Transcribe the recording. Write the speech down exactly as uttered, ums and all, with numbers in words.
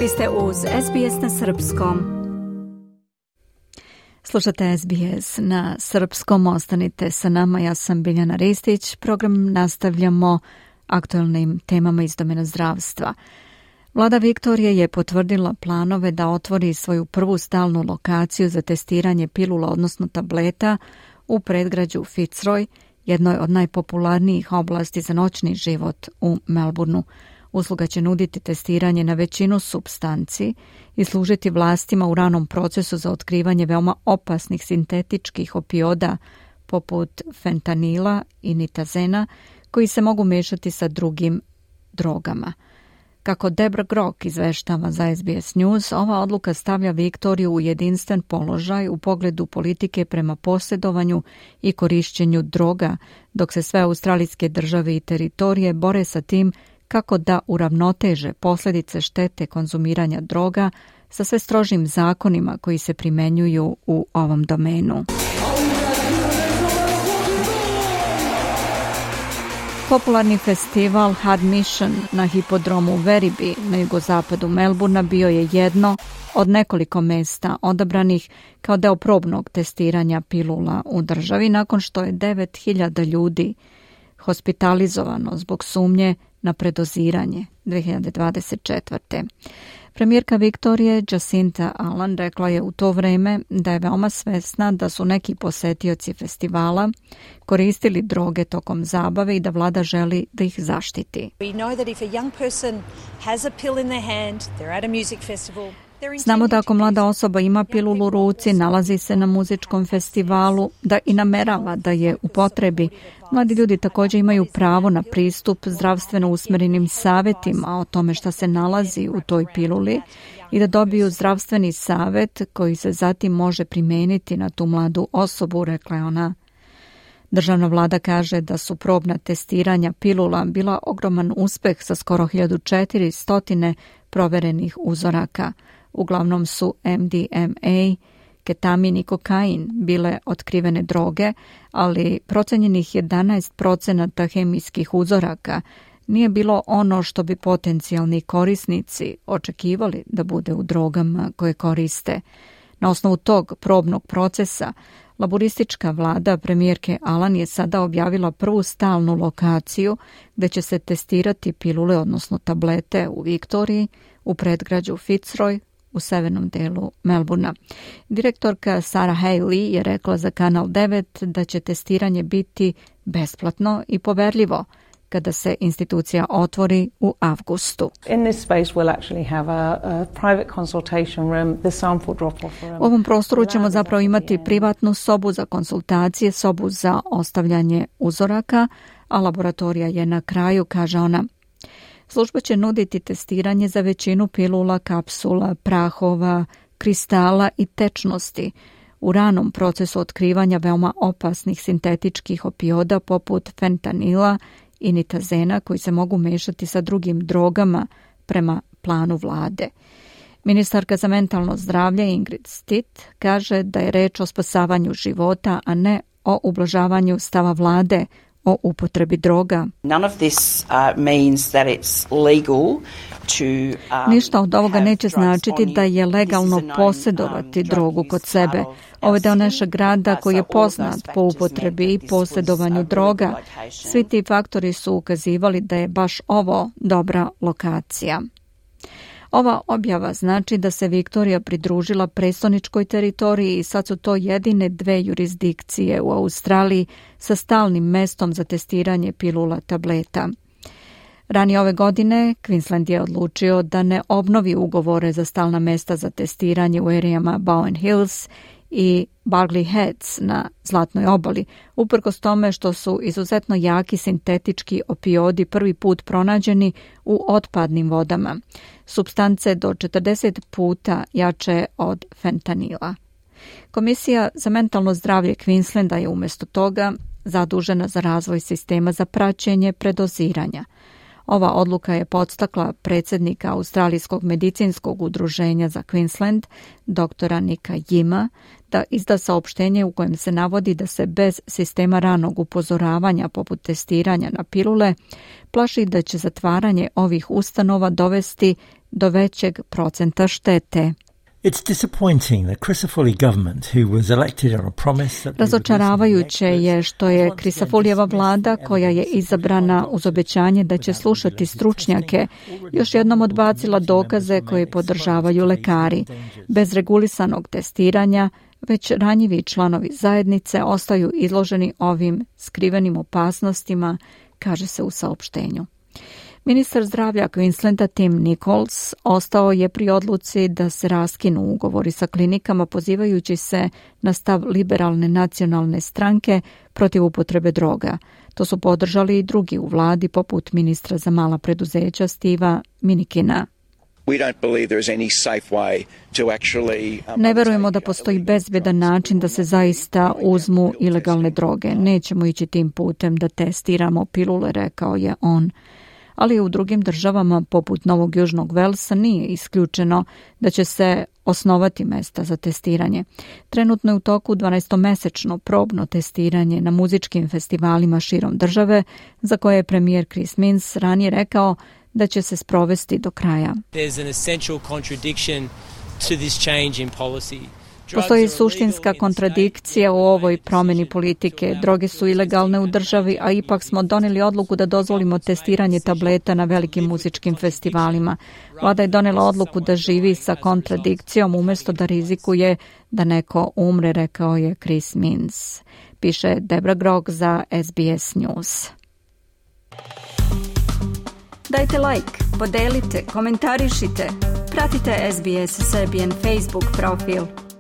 Vi ste uz S B S na srpskom. Slušate S B S na srpskom, ostanite sa nama, ja sam Biljana Ristić. Program nastavljamo aktualnim temama iz domena zdravstva. Vlada Viktorije je potvrdila planove da otvori svoju prvu stalnu lokaciju za testiranje pilula, odnosno tableta, u predgrađu Fitzroy, jednoj od najpopularnijih oblasti za noćni život u Melbourneu. Usluga će nuditi testiranje na većinu supstanci i služiti vlastima u ranom procesu za otkrivanje veoma opasnih sintetičkih opioida poput fentanila i nitazena, koji se mogu mešati sa drugim drogama. Kako Debra Grok izveštava za S B S News, ova odluka stavlja Viktoriju u jedinstven položaj u pogledu politike prema posjedovanju i korišćenju droga, dok se sve australijske države i teritorije bore sa tim kako da uravnoteže posljedice štete konzumiranja droga sa sve strožim zakonima koji se primenjuju u ovom domenu. Popularni festival Hard Mission na hipodromu Werribee na jugozapadu Melbournea bio je jedno od nekoliko mesta odabranih kao deo probnog testiranja pilula u državi nakon što je devet hiljada ljudi hospitalizovano zbog sumnje na predoziranje dvije hiljade dvadeset četvrte. Premijerka Viktorije Jacinta Allan rekla je u to vrijeme da je veoma svesna da su neki posetioci festivala koristili droge tokom zabave i da vlada želi da ih zaštiti. Znamo da ako mlada osoba ima pilulu u ruci, nalazi se na muzičkom festivalu, da i namerava da je upotrebi. Mladi ljudi također imaju pravo na pristup zdravstveno usmjerenim savjetima o tome šta se nalazi u toj piluli i da dobiju zdravstveni savjet koji se zatim može primijeniti na tu mladu osobu, rekla je ona. Državna vlada kaže da su probna testiranja pilula bila ogroman uspeh sa skoro hiljadu četiristo proverenih uzoraka. Uglavnom su M D M A, ketamin i kokain bile otkrivene droge, ali procenjenih jedanaest procenata hemijskih uzoraka nije bilo ono što bi potencijalni korisnici očekivali da bude u drogama koje koriste. Na osnovu tog probnog procesa, laboristička vlada premijerke Allan je sada objavila prvu stalnu lokaciju gdje će se testirati pilule, odnosno tablete u Viktoriji, u predgrađu Fitzroy, u severnom delu Melbournea. Direktorka Sarah Haley je rekla za Kanal devet da će testiranje biti besplatno i poverljivo kada se institucija otvori u avgustu. U ovom prostoru ćemo zapravo imati privatnu sobu za konsultacije, sobu za ostavljanje uzoraka, a laboratorija je na kraju, kaže ona. Služba će nuditi testiranje za većinu pilula, kapsula, prahova, kristala i tečnosti u ranom procesu otkrivanja veoma opasnih sintetičkih opioida poput fentanila i nitazena koji se mogu mešati sa drugim drogama prema planu vlade. Ministarka za mentalno zdravlje Ingrid Stitt kaže da je reč o spasavanju života, a ne o ublažavanju stava vlade o upotrebi droga. None of this uh, means that it's legal to, um, Ništa od ovoga neće značiti da je legalno posjedovati drogu kod sebe. Ovo je deo našeg grada koji je poznat po upotrebi i posjedovanju droga. Svi ti faktori su ukazivali da je baš ovo dobra lokacija. Ova objava znači da se Viktorija pridružila prestoničkoj teritoriji i sad su to jedine dve jurisdikcije u Australiji sa stalnim mestom za testiranje pilula tableta. Ranije ove godine Queensland je odlučio da ne obnovi ugovore za stalna mesta za testiranje u erijama Bowen Hills i Bargley Heads na Zlatnoj obali, uprkos tome što su izuzetno jaki sintetički opioidi prvi put pronađeni u otpadnim vodama, supstance do četrdeset puta jače od fentanila. Komisija za mentalno zdravlje Queenslanda je umjesto toga zadužena za razvoj sistema za praćenje predoziranja. Ova odluka je podstakla predsjednika Australijskog medicinskog udruženja za Queensland, doktora Nika Yima, da izda saopštenje u kojem se navodi da se bez sistema ranog upozoravanja poput testiranja na pilule plaši da će zatvaranje ovih ustanova dovesti do većeg procenta štete. It's disappointing that Crisafulli government, who was elected on a promise that Razočaravajuće je što je Crisafulijeva vlada, koja je izabrana uz obećanje da će slušati stručnjake, još jednom odbacila dokaze koje podržavaju lekari. Bez regulisanog testiranja, već ranjivi članovi zajednice ostaju izloženi ovim skrivenim opasnostima, kaže se u saopštenju. Ministar zdravlja Queenslanda Tim Nichols ostao je pri odluci da se raskinu ugovori sa klinikama, pozivajući se na stav liberalne nacionalne stranke protiv upotrebe droga. To su podržali i drugi u vladi, poput ministra za mala preduzeća Steva Minikina. Ne verujemo da postoji bezbjedan način da se zaista uzmu ilegalne droge. Nećemo ići tim putem da testiramo pilule, rekao je on. Ali u drugim državama, poput Novog Južnog Velsa, nije isključeno da će se osnovati mesta za testiranje. Trenutno je u toku dvanaestomesečno probno testiranje na muzičkim festivalima širom države, za koje je premijer Chris Minns ranije rekao da će se sprovesti do kraja. Postoji suštinska kontradikcija u ovoj promjeni politike. Droge su ilegalne u državi, a ipak smo donijeli odluku da dozvolimo testiranje tableta na velikim muzičkim festivalima. Vlada je donijela odluku da živi sa kontradikcijom umjesto da rizikuje da neko umre, rekao je Chris Minns. Piše Debra Grog za S B S News. Dajte like, podelite, komentarišite. Pratite S B S Serbian Facebook profil.